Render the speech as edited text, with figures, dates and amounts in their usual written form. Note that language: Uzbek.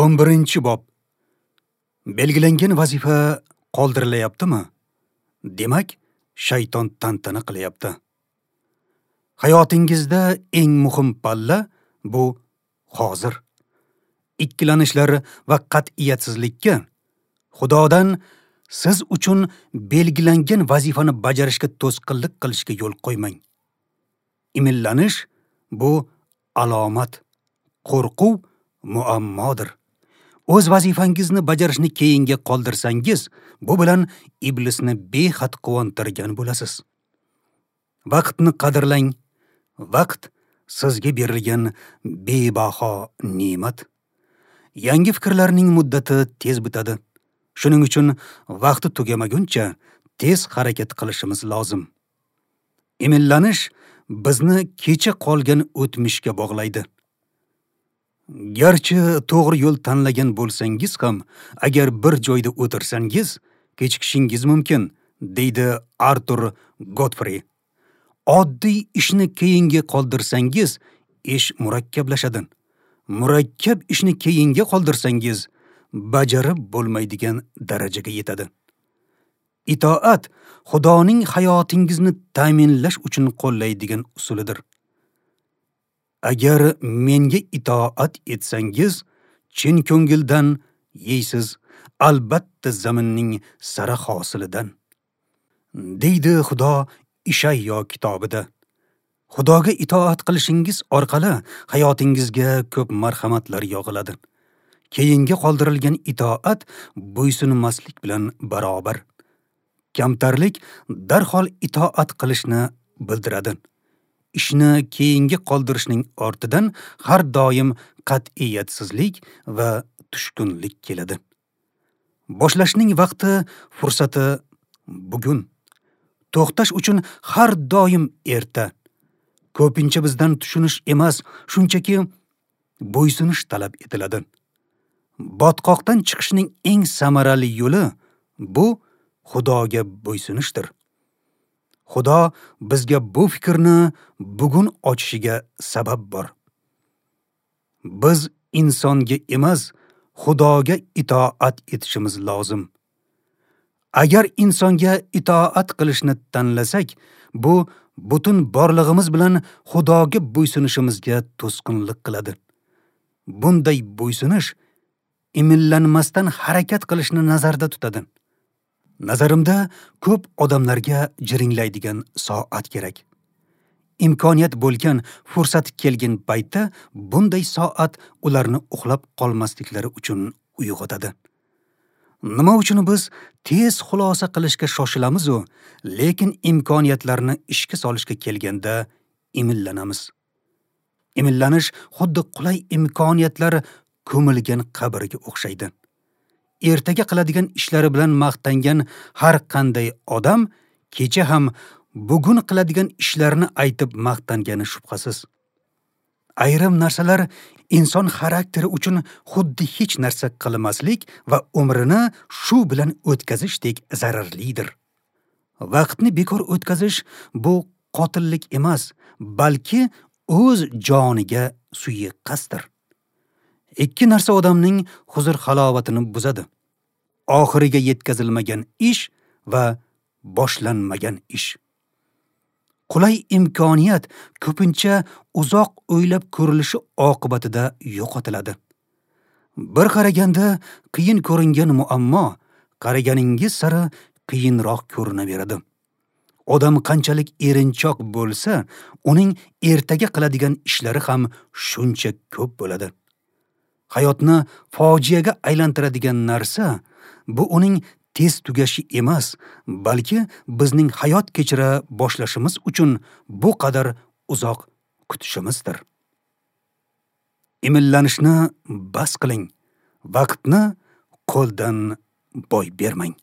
11-bob. Belgilangan vazifa qoldirilyaptimi? Demak, shayton tantana qilyapti. Hayotingizda eng muhim palla bu hozir. Ikkilanishlar va qat'iyatsizlikka Xudodan siz uchun belgilangan vazifani bajarishga to'sqinlik qilishga yo'l qo'ymang. Imillanish bu alomat, qo'rquv muammodir. O'z vazifangizni bajarishni keyinga qoldirsangiz, bu bilan iblisni behad quvontirgan bo'lasiz. Vaqtni qadrlang. Vaqt sizga berilgan bebaho ne'mat. Yangi fikrlarning muddati tez bitadi. Shuning uchun vaqti tugamaguncha tez harakat qilishimiz lozim. Imillanish bizni kecha qolgan o'tmishga bog'laydi. Garchi to'g'ri yo'l tanlagan bo'lsangiz ham, agar bir joyda o'tirsangiz, kechikishingiz mumkin, deydi Artur Godfrey. Oddiy ishni keyinga qoldirsangiz, ish murakkablashadi. Murakkab ishni keyinga qoldirsangiz, bajarib bo'lmaydigan darajaga yetadi. Itoat Xudoning hayotingizni ta'minlash uchun qo'llaydigan usulidir. Agar menga itoat etsangiz, chin ko'ngildan yeysiz, albatta zaminning sara hosilidan, deydi Xudo Ishayyo kitobida. Xudoga itoat qilishingiz orqali hayotingizga ko'p marhamatlar yog'iladi. Keyinga qoldirilgan itoat bo'ysunmaslik bilan barobar. Kamtarlik darhol itoat qilishni bildiradi. Ishni keyinga qoldirishning ortidan har doim qat'iyatsizlik va tushkunlik keladi. Boshlashning vaqti, fursati bugun. To'xtash uchun har doim erta. Ko'pincha bizdan tushunish emas, shunchaki bo'ysunish talab etiladi. Botqoqdan chiqishning eng samarali yo'li bu Xudoga bo'ysunishdir. Xudo bizga bu fikrni bugun ochishiga sabab bor. Biz insonga emas, Xudoga itoat etishimiz lozim. Agar insonga itoat qilishni tanlasak, bu butun borlig'imiz bilan Xudoga bo'ysunishimizga to'sqinlik qiladi. Bunday bo'ysunish imillanmasdan harakat qilishni nazarda tutadi. Nazarimda ko'p odamlarga jiringlaydigan soat kerak. Imkoniyat bo'lgan, fursat kelgan paytda bunday soat ularni uxlab qolmasliklari uchun uyg'otadi. Nima uchun biz tez xulosa qilishga shoshilamiz-u, lekin imkoniyatlarni ishga solishga kelganda imillanamiz. Imillanish xuddi qulay imkoniyatlar ko'milgan qabrga o'xshaydi. Ertaga qiladigan ishlari bilan maqtangan har qanday odam kecha ham bugun qiladigan ishlarini aytib maqtangani shubhasiz. Ayrim narsalar inson xarakteri uchun xuddi hech narsa qilmaslik va umrini shu bilan o'tkazishdek zararlidir. Vaqtni bekor o'tkazish bu qotillik emas, balki o'z joniga suiqasddir. Ikki narsa odamning huzur-halovatini buzadi. Oxiriga yetkazilmagan ish va boshlanmagan ish. Qulay imkoniyat ko'pincha uzoq o'ylab ko'rilishi oqibatida yo'qotiladi. Bir qaraganda qiyin ko'ringan muammo qaraganingiz sari qiyinroq ko'rinaveradi. Odam qanchalik erinchoq bo'lsa, uning ertaga qiladigan ishlari ham shuncha ko'p bo'ladi. Hayotni fojiaga aylantiradigan narsa bu uning tez tugashi emas, balki bizning hayot kechira boshlashimiz uchun bu qadar uzoq kutishimizdir. Imillanishni bas qiling, vaqtni qo'ldan boy bermang.